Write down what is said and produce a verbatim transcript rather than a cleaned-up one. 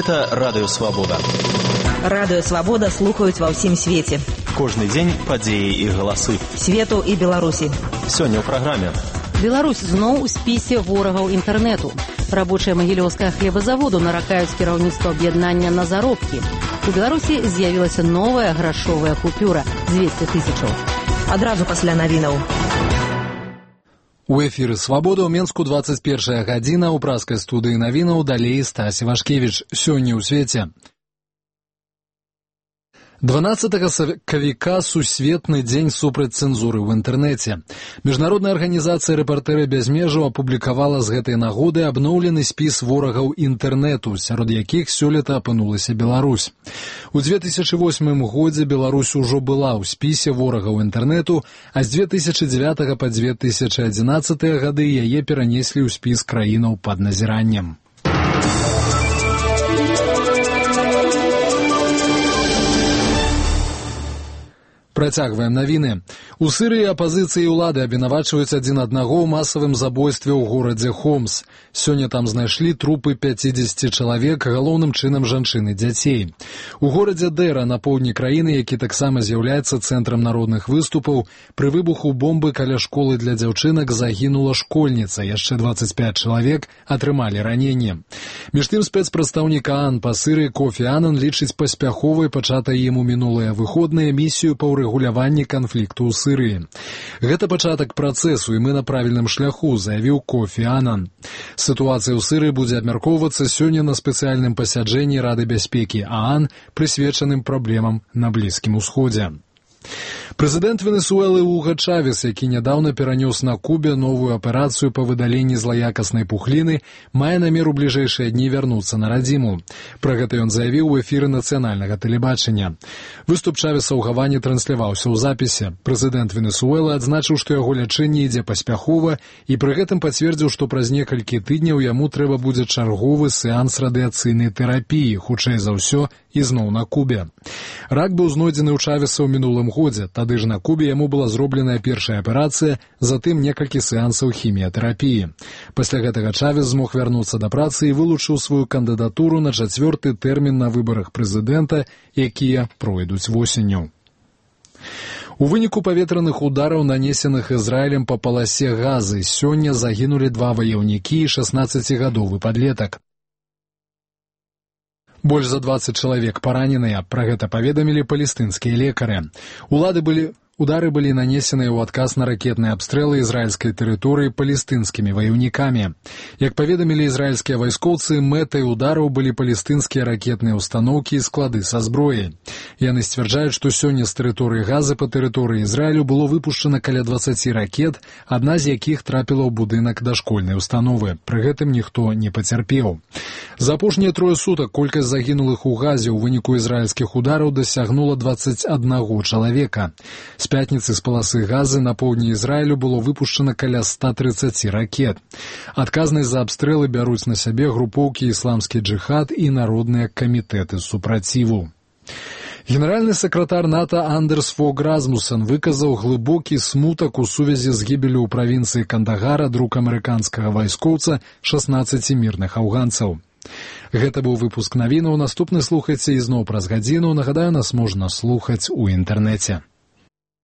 Гэта Радыё Свабода. Радыё Свабода слухаюць ва ўсім свеце. Кожны дзень падзеі і галасы. Свету і Беларусі. Сёння ў праграме. Беларусь зноў у спісе ворагаў інтэрнэту. Рабочыя магілёўскага хлебазаводу наракаюць кіраўніцтва аб'яднання на заробкі. У Беларусі з'явілася новая грашовая купюра – дзвесце тысячаў. Адразу пасля навінаў. У эфіры «Свабода» ў Менску двадцать первая гадзіна, у праскай студыі навінаў далей Стась Івашкевіч. Сёння ў свеце. дванаццатага сакавіка сусветны дзень супраць цэнзуры ў інтэрнэце. Міжнародная арганізацыя «Рэпартэры без межаў» апублікавала з гэтай нагоды абноўлены спіс ворагаў інтэрнэту, сярод якіх сёлета апынулася Беларусь. У две тысячы восьмым годзе Беларусь ужо была ў спісе ворагаў інтэрнэту, а з две тысячы дзевятага па две тысячы адзінаццатыя гады яе перанеслі ў спіс краінаў пад назіраннем. Працягваем навіны. У Сірыі апазіцыі і ўлады абвінавачваюць адзін аднаго ў масавым забойстве ў горадзе Хомс. Сёння там знайшлі трупы пяцідзесяці чалавек, галоўным чынам жанчын і дзяцей. У горадзе Дэра на поўдні краіны, які таксама з'яўляецца цэнтрам народных выступаў, пры выбуху бомбы каля школы для дзяўчынак загінула школьніца, яшчэ дваццаць пяць чалавек атрымалі раненне. Між тым спецпрадстаўнік ААН па Сірыі Кофі Анан лічыць паспяховай пачатай ім у мінулыя выходныя місію па рэгуляванні канфлікту ў Сірыі. Гэта пачатак працэсу, і мы на правільным шляху, заявіў Кофі Анан. Сітуацыя ў Сірыі будзе абмяркоўвацца сёння на спецыяльным пасяджэнні Рады бяспекі ААН, прысвечаным праблемам на Блізкім Усходзе. Прэзідэнт Венесуэлы Уга Чавес, які нядаўна перанёс на Кубе новую аперацыю па выдаленні злаякаснай пухліны, мае намер у бліжэйшыя дні вярнуцца на радзіму. Пра гэта ён заявіў у эфіры нацыянальнага тэлебачання. Выступ Чавеса ў Гаване трансляваўся ў запісе. Прэзідэнт Венесуэлы адзначыў, што яго лячэнне ідзе паспяхова, і пры гэтым пацвердзіў, што праз некалькі тыдняў яму трэба будзе чарговы сеанс радыяцыйнай тэрапіі, хутчэй за ўсё, ізноў на Кубе. Рак быў знойдзены ў Чавеса ў мінулым годзе. Тады ж на Кубе яму была зробленая першая аперацыя, затым некалькі сеансаў хіміятэрапіі. Пасля гэтага Чавес змог вярнуцца да працы і вылучыў сваю кандыдатуру на чацвёрты тэрмін на выбарах прэзідэнта, якія пройдуць восенню. У выніку паветраных удараў, нанесеных Ізраілем па паласе Газы, сёння загінулі два ваяўнікі і шаснаццацігадовы падлетак. Больш за дваццаць чалавек параненыя, пра гэта паведамілі палестынскія лекары. Улады былі... Удары былі нанесеныя ў адказ на ракетныя абстрэлы ізраільскай тэрыторыі палестынскімі ваяўнікамі. Як паведамілі ізраільскія вайскоўцы, мэтай удараў былі палестынскія ракетныя ўстаноўкі і склады са зброяй. Яны сцвярджаюць, што сёння з тэрыторыі Газы па тэрыторыі Ізраілю было выпушчана каля дваццаці ракет, адна з якіх трапіла ў будынак дашкольнай установы. Пры гэтым ніхто не пацярпеў. За апошнія трое сутак колькасць загінулых у Газе ў выніку ізраільскіх удараў дасягнула дваццаць аднаго чалавека. З пятніцы з паласы Газы на поўдні Ізраілю было выпушчана каля ста трыццаці ракет. Адказнасць за абстрэлы бяруць на сябе групоўкі «Ісламскі джыхад» і народныя камітэты супраціву. Генеральны сакратар НАТО Андерс Фог Расмуссен выказаў глыбокі смутак у сувязі з гібеллю ў правінцыі Кандагара друк амерыканскага вайскоўца шаснаццаці мірных афганцаў. Гэта быў выпуск навінаў. Наступны слухайце ізноў праз гадзіну. Нагадаю, нас можна слухаць у інтэрнэце.